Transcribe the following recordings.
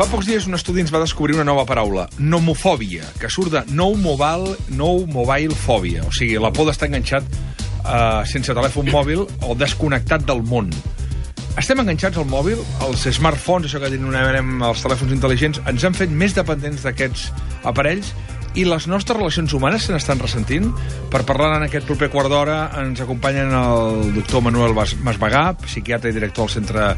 Fa pocs dies un estudi ens va descobrir una nova paraula, nomofòbia, que surt de no mobile phobia, o sigui, la por d'estar enganxat sense telèfon mòbil o desconnectat del món. Estem enganxats al mòbil, els smartphones, això que denominarem els telèfons intel·ligents, ens han fet més dependents d'aquests aparells i les nostres relacions humanes se n'estan ressentint. Per parlar en aquest proper quart d'hora ens acompanyen el doctor Manuel Masbagà, psiquiatre i director del Centre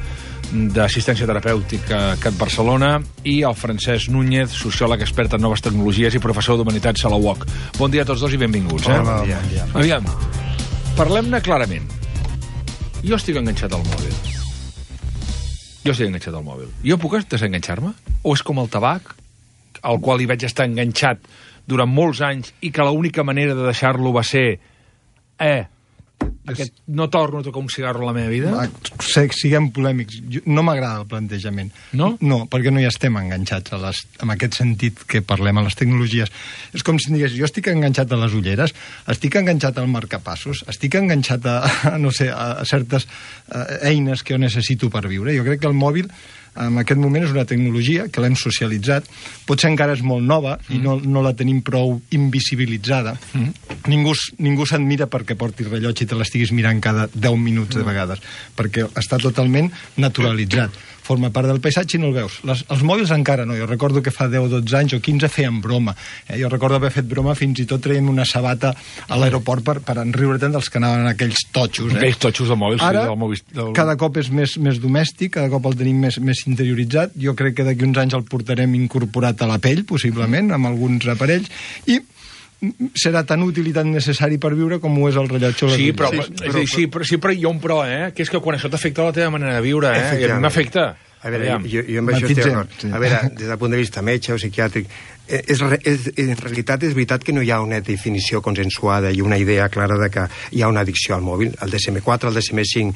d'Assistència Terapèutica CAT Barcelona, i el Francesc Núñez, sociòleg expert en noves tecnologies i professor d'Humanitats a la UOC. Bon dia a tots dos i benvinguts. Hola, bon dia. Aviam, parlem-ne clarament. Jo estic enganxat al mòbil. Jo puc desenganxar-me? O és com el tabac, al qual hi vaig estar enganxat durant molts anys i que l'única manera de deixar-lo va ser no torno a tocar un cigarro a la meva vida? Siguem polèmics. No m'agrada el plantejament. No? No, perquè no hi estem enganxats en aquest sentit que parlem a les tecnologies. És com si digués, jo estic enganxat a les ulleres, estic enganxat al marcapassos, estic enganxat a certes eines que jo necessito per viure. Jo crec que el mòbil en aquest moment és una tecnologia que l'hem socialitzat, potser encara és molt nova i no la tenim prou invisibilitzada. Ningú s'admira perquè porti rellotge i te l'estiguis mirant cada 10 minuts de vegades, perquè està totalment naturalitzat. Forma part del paisatge i no el veus. Els mòbils encara no. Jo recordo que fa 10 o 12 anys o 15 feien broma. Jo recordo haver fet broma fins i tot traient una sabata a l'aeroport per enriure-te'n dels que anaven aquells totxos. Aquells totxos de mòbils. Ara, cada cop és més domèstic, cada cop el tenim més interioritzat. Jo crec que d'aquí uns anys el portarem incorporat a la pell, possiblement, amb alguns aparells, i serà tan útil i tan necessari per viure com ho és el rellotge. Sí, però hi ha un però, que és que quan això t'afecta la teva manera de viure, i a mi m'afecta. A veure, jo amb això estic d'acord. A veure, des del punt de vista metge o psiquiàtric, en realitat és veritat que no hi ha una definició consensuada i una idea clara de que hi ha una addicció al mòbil. El DSM-4, el DSM-5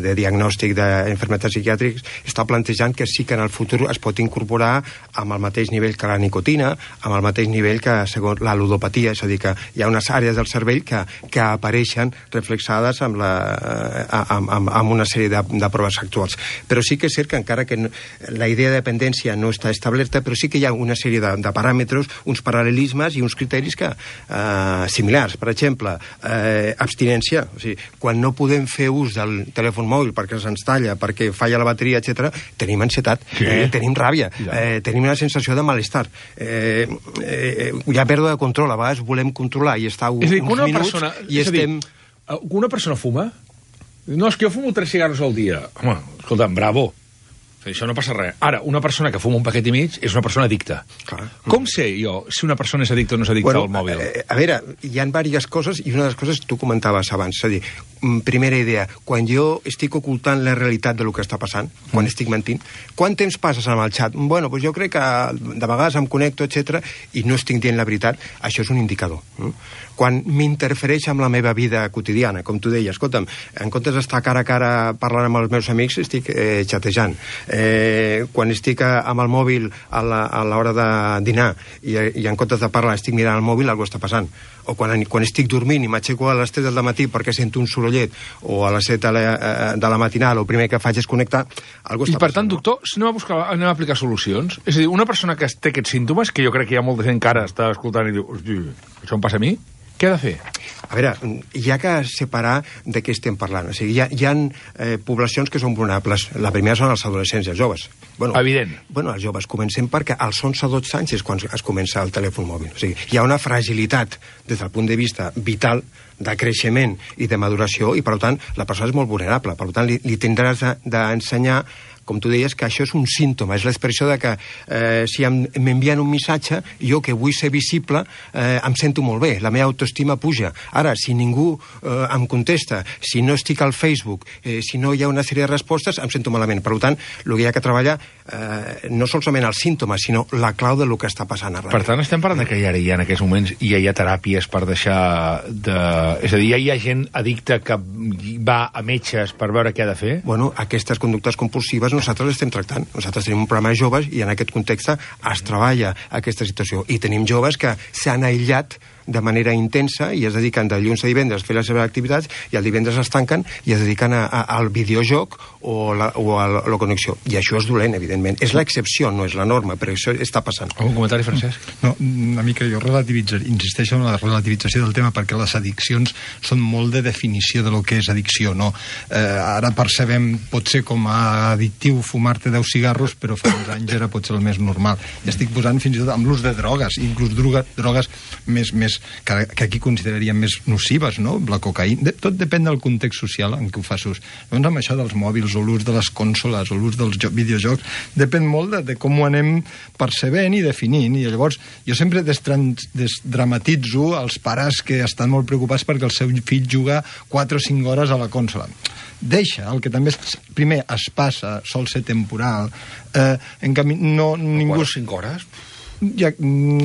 de diagnòstic d'enfermetats psiquiàtrics està plantejant que sí que en el futur es pot incorporar amb el mateix nivell que la nicotina, amb el mateix nivell que segons la ludopatia, és a dir, que hi ha unes àrees del cervell que apareixen reflexades amb una sèrie de proves actuals. Però sí que és cert que encara que la idea de dependència no està establerta, però sí que hi ha una sèrie de paràmetres, uns paral·lelismes i uns criteris similars. Per exemple, abstinència. O sigui, quan no podem fer ús del telèfon mòbil perquè se'ns talla, perquè falla la bateria, etc., tenim ansietat, tenim ràbia, tenim una sensació de malestar. Hi ha pèrdua de control. A vegades volem controlar i estar uns minuts i estem... Una persona fuma? No, és que jo fumo 3 cigarros al dia. Home, escolta'm, bravo. Això no passa res. Ara, una persona que fuma un paquet i mig és una persona addicta. Clar. Com sé jo si una persona és addicta o no és addicta al mòbil? A veure, hi ha diverses coses i una de les coses tu comentaves abans. És a dir, primera idea, quan jo estic ocultant la realitat del que està passant, quan estic mentint, quant temps passes amb el xat? Bueno, doncs jo crec que de vegades em connecto, etc i no estic dient la veritat. Això és un indicador. Quan m'interfereix amb la meva vida quotidiana, com tu deies, escolta'm, en comptes d'estar cara a cara parlant amb els meus amics, estic xatejant. Quan estic amb el mòbil a l'hora de dinar i en comptes de parlar estic mirant el mòbil, alguna està passant. O quan estic dormint i m'aixeco a les 3 del matí perquè sento un sorollet, o a les 7 de la matinal, el primer que faig és connectar, alguna està passant. I per tant, doctor, anem a aplicar solucions? És a dir, una persona que té aquests símptomes, que jo crec que hi ha molta gent que ara està escoltant i diu, hosti, això em passa a mi? Què ha de fer? A veure, hi ha que separar de què estem parlant. O sigui, hi ha poblacions que són vulnerables. La primera són els adolescents i els joves. Evident. Els joves comencem perquè als 11-12 anys és quan es comença el telèfon mòbil. O sigui, hi ha una fragilitat des del punt de vista vital, de creixement i de maduració, i per tant la persona és molt vulnerable. Per tant, li tindràs d'ensenyar, com tu deies, que això és un símptoma, és l'expressió de que si m'envien un missatge, jo que vull ser visible, em sento molt bé, la meva autoestima puja. Ara, si ningú em contesta, si no estic al Facebook, si no hi ha una sèrie de respostes, em sento malament. Per tant, el que hi ha que treballar no solament els símptomes, sinó la clau del que està passant arreu. Per tant, estem parlant que ara hi ha en aquests moments ja hi ha teràpies per deixar de... És a dir, ja hi ha gent addicta que va a metges per veure què ha de fer? Bueno, aquestes conductes compulsives nosaltres l'estem tractant. Nosaltres tenim un programa de joves i en aquest context es treballa aquesta situació. I tenim joves que s'han aïllat de manera intensa i es dediquen de dilluns a divendres a fer les seves activitats i el divendres es tanquen i es dediquen al videojoc o a la connexió. I això és dolent, evidentment. És l'excepció, no és la norma, però això està passant. Un comentari, Francesc? No, una mica jo insisteixo en la relativització del tema perquè les addiccions són molt de definició de lo que és addicció, no? Ara percebem, pot ser com a addictiu fumar-te 10 cigarros, però fa uns anys era potser el més normal. I estic posant fins i tot amb l'ús de drogues, inclús drogues més que aquí consideraríem més nocives, no? La cocaïna. Tot depèn del context social en què ho fas ús. Doncs amb això dels mòbils o l'ús de les consoles o l'ús dels videojocs depèn molt de com ho anem percebent i definint. I llavors jo sempre desdramatitzo els pares que estan molt preocupats perquè el seu fill juga 4 o 5 hores a la consola. Deixa, el que també primer es passa, sol ser temporal, en canvi ningú... 4 o 5 hores? Ja,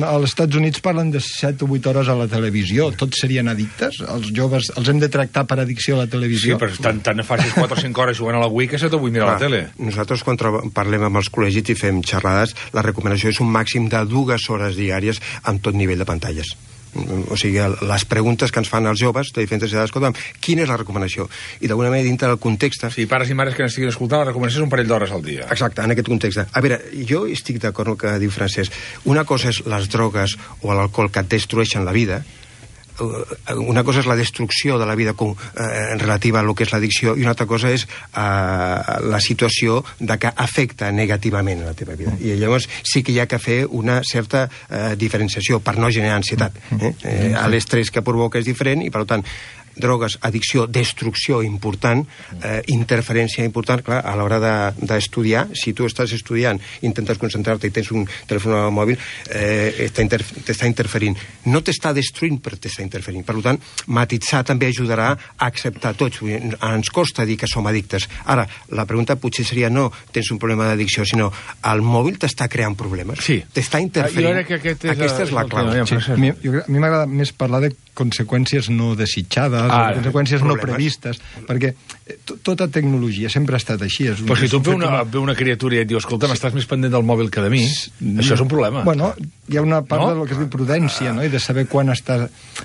als Estats Units parlen de 7 o 8 hores a la televisió. Tots serien addictes? Els joves els hem de tractar per addicció a la televisió? Sí, però tant facis 4 o 5 hores jugant a la Wii que se t'ho vull mirar a la tele. Nosaltres, quan parlem amb els col·legis i fem xerrades, la recomanació és un màxim de 2 hores diàries amb tot nivell de pantalles. O sigui, les preguntes que ens fan els joves de diferents edats, escolta'm, quina és la recomanació? I d'alguna manera, dintre del context... Sí, pares i mares que n'estiguin escoltant, la recomanació és un parell d'hores al dia. Exacte, en aquest context. A veure, jo estic d'acord amb el que diu Francesc. Una cosa és les drogues o l'alcohol que et destrueixen la vida. Una cosa és la destrucció de la vida relativa a lo que és l'addicció i una altra cosa és la situació de que afecta negativament a la teva vida. I llavors sí que hi ha que fer una certa diferenciació per no generar ansietat. L'estrès que provoca és diferent i, per tant, drogues, addicció, destrucció important, interferència important, clar, a l'hora d'estudiar, si tu estàs estudiant, intentes concentrar-te i tens un telèfon mòbil, t'està interferint. No t'està destruint, però t'està interferint. Per tant, matitzar també ajudarà a acceptar tots. Ens costa dir que som addictes. Ara, la pregunta potser seria no tens un problema d'addicció, sinó el mòbil t'està creant problemes. Sí. T'està interferint. Aquesta és la clau. Sí. A mi m'agrada més parlar de conseqüències no desitjades, conseqüències no previstes, perquè tota tecnologia sempre ha estat així. Però si tu ve una criatura i et diu, escolta, m'estàs més pendent del mòbil que de mi, això és un problema. Bueno, hi ha una part del que es diu prudència, no? I de saber quan està...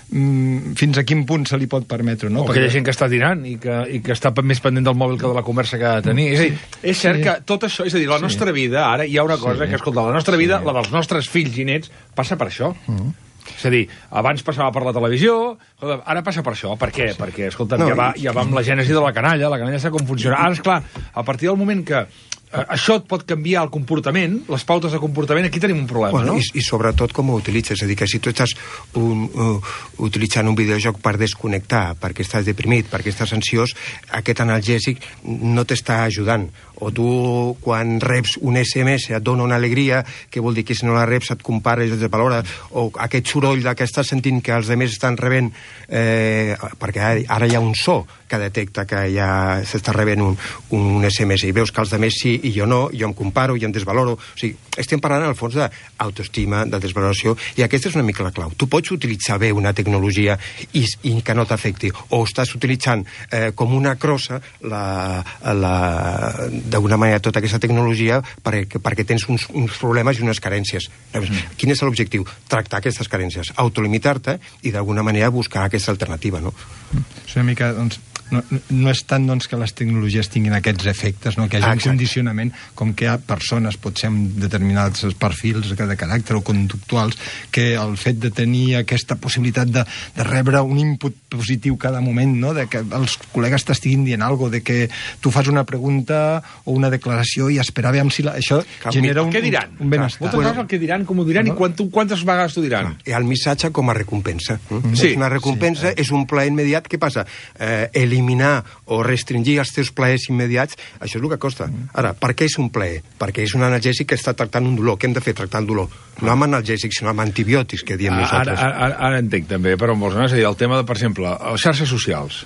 fins a quin punt se li pot permetre, no? O que hi ha gent que està tirant i que està més pendent del mòbil que de la conversa que ha de tenir. És a dir, és cert que tot això, és a dir, la nostra vida, ara hi ha una cosa que, escolta, la nostra vida, la dels nostres fills i nets, passa per això. És a dir, abans passava per la televisió, ara passa per això. Per què? Perquè, escolta'm, ja va amb la gènesi de la canalla sap com funciona. Ara, esclar, a partir del moment que això et pot canviar el comportament, les pautes de comportament, aquí tenim un problema, no? I sobretot com ho utilitzes, és a dir, que si tu estàs utilitzant un videojoc per desconnectar, perquè estàs deprimit, perquè estàs ansiós, aquest analgèsic no t'està ajudant. O tu, quan reps un SMS, et dona una alegria, que vol dir que si no la reps et compares i et valora, o aquest soroll que estàs sentint que els altres estan rebent, perquè ara hi ha un so que detecta que ja s'està rebent un SMS, i veus que els altres sí i jo no, jo em comparo, jo em desvaloro. O sigui, estem parlant al fons d'autoestima, de desvaloració, i aquesta és una mica la clau. Tu pots utilitzar bé una tecnologia i que no t'afecti, o estàs utilitzant com una crossa d'alguna manera tota aquesta tecnologia perquè tens uns problemes i unes carències. Quin és l'objectiu? Tractar aquestes carències, autolimitar-te i d'alguna manera buscar aquesta alternativa, no? És una mica, doncs, no és tant doncs, que les tecnologies tinguin aquests efectes, no? Que hi hagi un condicionament, com que hi ha persones, potser amb determinats perfils de caràcter o conductuals, que el fet de tenir aquesta possibilitat de rebre un input positiu cada moment, no? De que els col·legues t'estiguin dient alguna cosa, de que tu fas una pregunta o una declaració i esperar veure si això genera un benestar. Moltes coses el que diran, com ho diran i quantes vegades t'ho diran. El missatge com a recompensa. És una recompensa, és un plaer immediat. Què passa? Eliminar o restringir els teus plaers immediats, això és el que costa. Ara, per què és un plaer? Perquè és un analgèsic que està tractant un dolor. Què hem de fer? Tractar el dolor. No amb analgèsics, sinó amb antibiòtics, que diem nosaltres. Ara entenc també, però molts anys, és a dir, el tema de, per exemple, les xarxes socials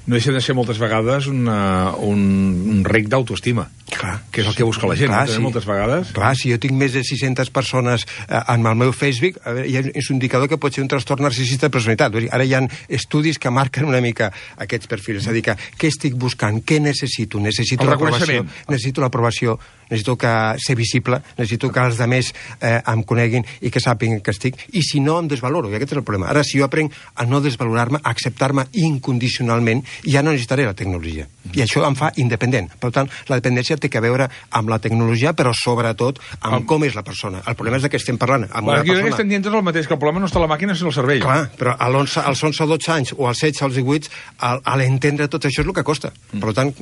no deixen de ser moltes vegades un rec d'autoestima. Clar, que és el que busca la gent, sí. Moltes vegades. Clar, si jo tinc més de 600 persones en el meu Facebook, és un indicador que pot ser un trastorn narcisista de personalitat. Ara hi ha estudis que marquen una mica aquests perfils. És a dir, que què estic buscant, què necessito? Necessito l'aprovació, necessito ser visible, necessito que els altres em coneguin i que sàpiguen que estic, i si no em desvaloro, i aquest és el problema. Ara, si jo aprenc a no desvalorar-me, a acceptar-me incondicionalment, ja no necessitaré la tecnologia. I això em fa independent. Per tant, la dependència té a veure amb la tecnologia, però sobretot amb com és la persona. El problema és que estem parlant amb una persona... Jo crec que estem dient tot el mateix, que el problema no està a la màquina, sinó al cervell. Clar, però als 11-12 anys, o als 16, als 18, a l'entendre tot això és el que costa. Per tant...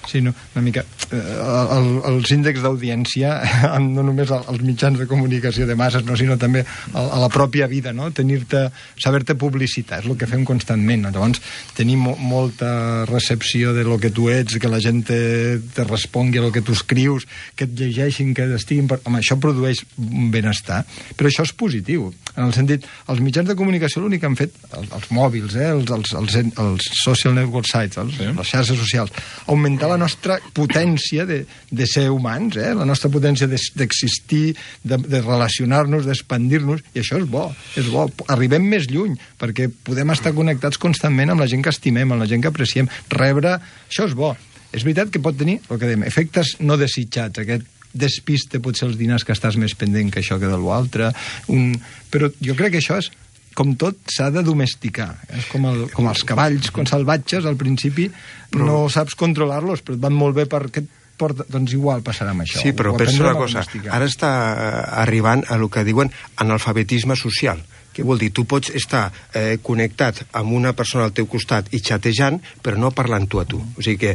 Sí, no, una mica... Els índexs d'audiència, no només als mitjans de comunicació de masses, no, sinó també a la pròpia vida, no? Saber-te publicitar, és el que fem constantment. Llavors, tenir molta recepció de lo que tu ets, que la gent te respongui a lo que tu escrius, que et llegeixin, que estiguin... Home, això produeix benestar, però això és positiu. En el sentit, els mitjans de comunicació l'únic que han fet, els mòbils, els social network sites, les xarxes socials, augmentar la nostra potència de ser humans, la nostra potència d'existir, de relacionar-nos, d'expandir-nos, i això és bo, és bo. Arribem més lluny, perquè podem estar connectats constantment amb la gent que estimem, amb la gent que apreciem. Rebre, això és bo. És veritat que pot tenir, el que dèiem, efectes no desitjats, aquest despiste potser els dinars que estàs més pendent que això que de l'altre, però jo crec que això és, com tot, s'ha de domesticar. És com els cavalls, quan salvatges, al principi no saps controlar-los, però et van molt bé perquè doncs igual passarà amb això. Sí, però pensa una cosa, ara està arribant a el que diuen analfabetisme social. Què vol dir? Tu pots estar connectat amb una persona al teu costat i xatejant, però no parlant tu a tu. O sigui que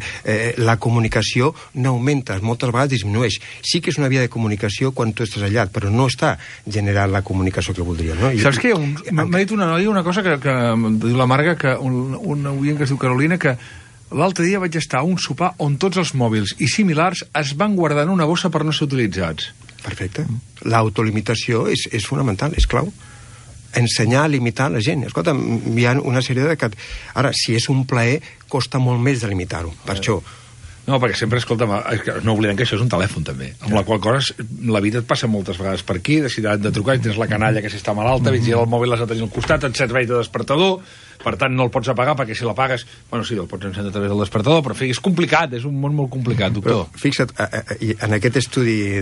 la comunicació no augmenta, moltes vegades disminueix. Sí que és una via de comunicació quan tu estàs allà, però no està generant la comunicació que voldríem. No? Saps què? M'ha dit una noia una cosa que diu la Marga, que un oient que es diu Carolina, que l'altre dia vaig estar a un sopar on tots els mòbils i similars es van guardar en una bossa per no ser utilitzats. Perfecte. L'autolimitació és fonamental, és clau. Ensenyar a limitar la gent. Escolta, hi ha una sèrie de... Ara, si és un plaer, costa molt més de limitar-ho. Per això... No, perquè sempre, escolta, no oblidem que això és un telèfon, també. Amb la qual cosa, la vida et passa moltes vegades per aquí, de trucar, tens la canalla que si està malalta, vigila el mòbil, l'has de tenir al costat, et serveix de despertador, per tant no el pots apagar, perquè si l'apagues, bueno, sí, el pots encendre a través del despertador, però és complicat, és un món molt complicat, doctor. Però, fixa't, en aquest estudi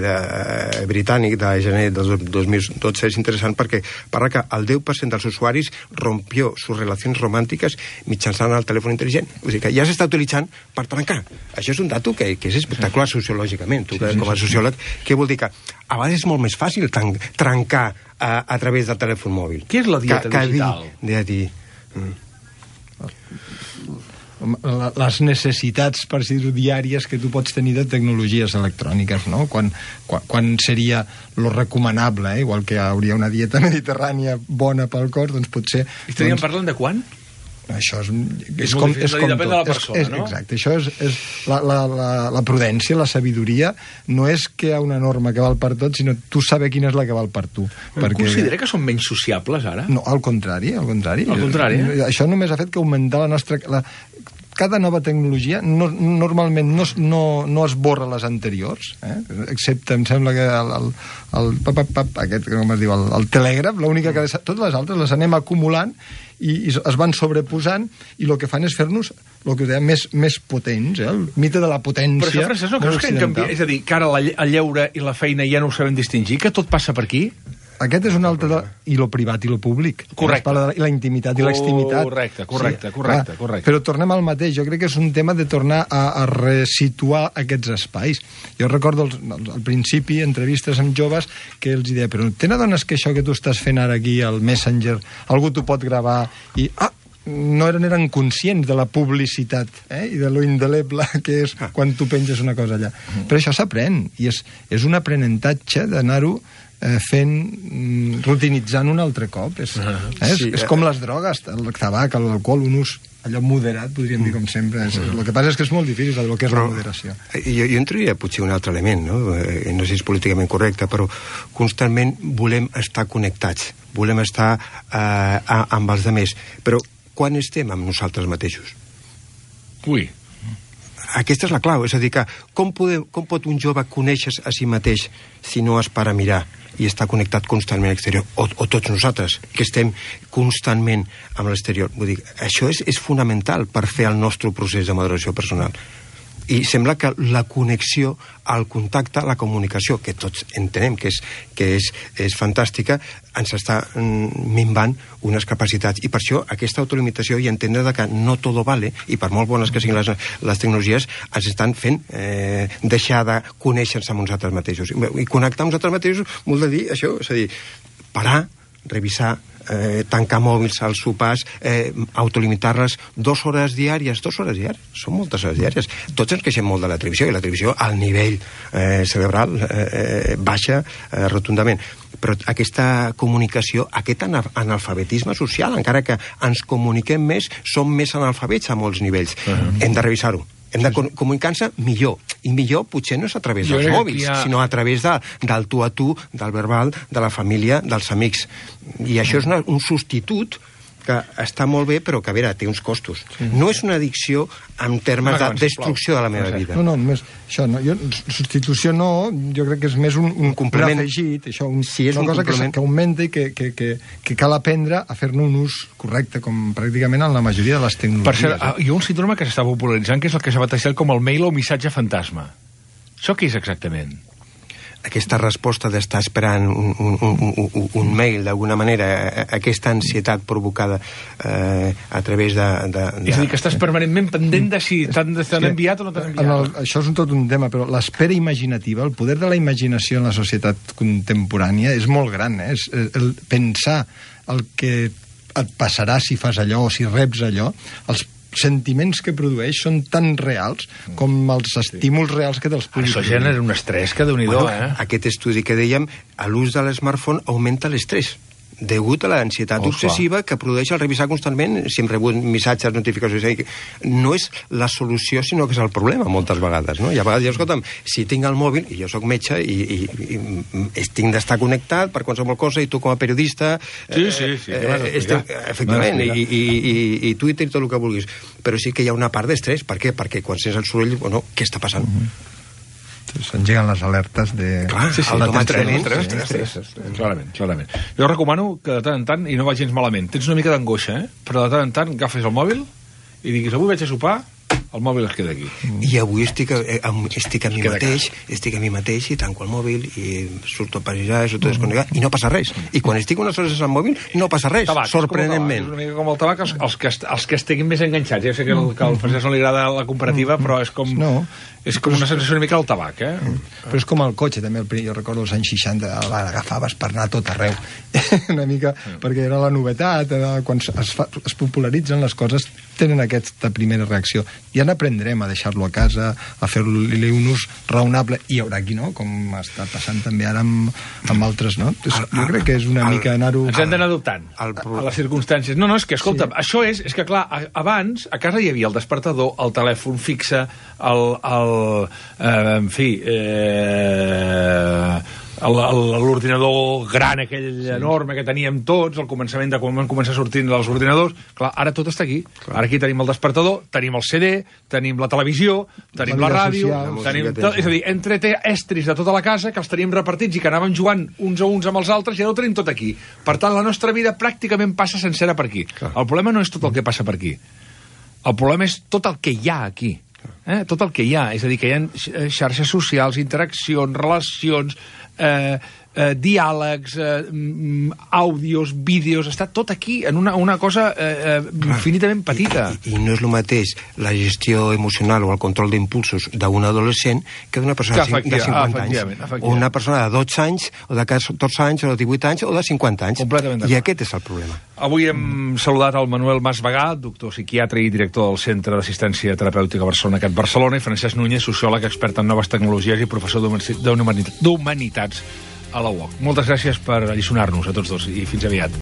britànic de gener del 2012 és interessant perquè parla que el 10% dels usuaris rompió sus relacions romàntiques mitjançant el telèfon intel·ligent. O sigui que ja s'està utilitzant per trencar. Això és un dato que és espectacular sociològicament. Tu, com a sociòleg, què vol dir? Que a vegades és molt més fàcil trencar a través del telèfon mòbil. Què és la dieta digital? Les necessitats, per dir-ho, diàries que tu pots tenir de tecnologies electròniques, no? Quan seria lo recomanable, igual que hi hauria una dieta mediterrània bona pel cos, doncs potser... Estaríem parlant de quan? Això és com depèn de la persona, no? Exacte, això és la prudència, la sabidoria, no és que hi ha una norma que val per tot, sinó tu saber quina és la que val per tu. Considera que són menys sociables, ara? No, al contrari. Al contrari, Això només ha fet que augmentar la nostra... Cada nova tecnologia normalment no esborra les anteriors, excepte, em sembla que aquest, com es diu, el telègraf, l'única que... Totes les altres les anem acumulant i es van sobreposant, i el que fan és fer-nos el que dèiem més potents, el mite de la potència. Però això, Francesc, no creus que hem canviat? És a dir, que ara el lleure i la feina ja no ho sabem distingir, que tot passa per aquí? Aquest és un altre... I lo privat i lo públic. Correcte. I la intimitat i l'extimitat. Correcte. Però tornem al mateix. Jo crec que és un tema de tornar a resituar aquests espais. Jo recordo al principi entrevistes amb joves que els deia, però te n'adones que això que tu estàs fent ara aquí al Messenger, algú t'ho pot gravar i... no eren conscients de la publicitat i de lo indeleble que és quan tu penges una cosa allà. Però això s'aprèn, i és un aprenentatge d'anar-ho fent, rutinitzant un altre cop. És com les drogues, el tabac, l'alcohol, un ús allò moderat, podríem dir, com sempre. El que passa és que és molt difícil el que és la moderació. Jo entraria potser un altre element, no sé si és políticament correcte, però constantment volem estar connectats, volem estar amb els altres, però quan estem amb nosaltres mateixos? Ui. aquesta és la clau, és a dir, que com pot un jove conèixer a si mateix si no es para a mirar i està connectat constantment a l'exterior, o tots nosaltres, que estem constantment amb l'exterior. Vull dir, això és fonamental per fer el nostre procés de maduració personal. I sembla que la connexió, el contacte, la comunicació, que tots entenem que és fantàstica, ens està minvant unes capacitats. I per això aquesta autolimitació i entendre que no tot vale, i per molt bones que siguin les tecnologies, ens estan fent deixar de conèixer-se amb nosaltres mateixos. I connectar amb nosaltres mateixos vol dir això, és a dir, parar, revisar, tancar mòbils als sopars, autolimitar-les 2 hores diàries. 2 hores diàries, són moltes hores diàries. Tots ens queixem molt de la televisió, i la televisió al nivell cerebral baixa rotundament. Però aquesta comunicació, aquest analfabetisme social, encara que ens comuniquem més, som més analfabets a molts nivells. Hem de revisar-ho. Hem de comunicar-nos millor. I millor potser no és a través dels mòbils, sinó a través del tu a tu, del verbal, de la família, dels amics. I això és un substitut que està molt bé, però que, a veure, té uns costos. No és una addicció en termes de destrucció de la meva vida. No, només això no. Substitució no, jo crec que és més un complement afegit, això, una cosa que augmenta i que cal aprendre a fer-ne un ús correcte, com pràcticament en la majoria de les tecnologies. Per cert, hi ha un síndrome que s'està popularitzant, que és el que s'ha batejat com el mail o missatge fantasma. Això què és exactament? Aquesta resposta d'estar esperant un mail, d'alguna manera, aquesta ansietat provocada a través de... És a dir, que estàs permanentment pendent de si t'han enviat o no t'han enviat. Això és tot un tema, però l'espera imaginativa, el poder de la imaginació en la societat contemporània és molt gran, és el pensar el que et passarà si fas allò o si reps allò, els sentiments que produeix són tan reals com els estímuls reals que te'ls puguis... Això genera un estrès que Déu-n'hi-do, Aquest estudi que dèiem, l'ús de l'smartphone augmenta l'estrès degut a l'ansietat obsessiva que produeix el revisar constantment si hem rebut missatges, notificacions. No és la solució, sinó que és el problema, moltes vegades, no? I a vegades, escolta'm, si tinc el mòbil, i jo sóc metge, i tinc d'estar connectat per qualsevol cosa, i tu com a periodista... Sí, efectivament, i Twitter i tot el que vulguis. Però sí que hi ha una part d'estrès. Per què? Perquè quan sents el soroll, bueno, què està passant? S'engeguen les alertes de... Clarament. Jo recomano que de tant en tant, i no va gens malament, tens una mica d'angoixa, però de tant en tant agafes el mòbil i diguis, avui vaig a sopar, el mòbil es queda aquí. I avui estic a mi mateix i tanco el mòbil i surto a passejar, surto a desconnectar i no passa res. I quan estic unes hores al mòbil no passa res, sorprenentment. És una mica com el tabac, els que estiguin més enganxats. Ja sé que al Francesc no li agrada la comparativa, però és com... És com una sensació una mica del tabac, Però és com el cotxe, també. Jo recordo els anys 60, l'agafaves per anar a tot arreu. Una mica, perquè era la novetat, quan es popularitzen les coses, tenen aquesta primera reacció. Ja n'aprendrem a deixar-lo a casa, a fer-li un ús raonable, i hi haurà qui no, com està passant també ara amb altres, no? Jo crec que és una mica anar-ho... Ens hem d'anar adoptant a les circumstàncies. No, és que, escolta'm, això és que, clar, abans, a casa hi havia el despertador, el telèfon fixe, l'ordinador gran aquell enorme que teníem tots al començament de quan van començar a sortir els ordinadors. Clar, ara tot està aquí. Ara aquí tenim el despertador, tenim el CD, tenim la televisió, tenim la ràdio, és a dir, entre estris de tota la casa que els tenim repartits i que anàvem jugant uns a uns amb els altres, i ara ho tenim tot aquí. Per tant, la nostra vida pràcticament passa sencera per aquí. El problema no és tot el que passa per aquí. El problema és tot el que hi ha aquí. Tot el que hi ha, és a dir, que hi ha xarxes socials, interaccions, relacions, diàlegs, àudios, vídeos, està tot aquí en una cosa infinitament petita. I no és el mateix la gestió emocional o el control d'impulsos d'un adolescent que d'una persona de 50 anys. O una persona de 12 anys, o de 14 anys, o de 18 anys, o de 50 anys. I aquest és el problema. Avui hem saludat el Manuel Masvegà, doctor psiquiatre i director del Centre d'Assistència Terapèutica Barcelona, CAT Barcelona, i Francesc Núñez, sociòleg, expert en noves tecnologies i professor d'Humanitats a la UOC. Moltes gràcies per alliçonar-nos a tots dos i fins aviat.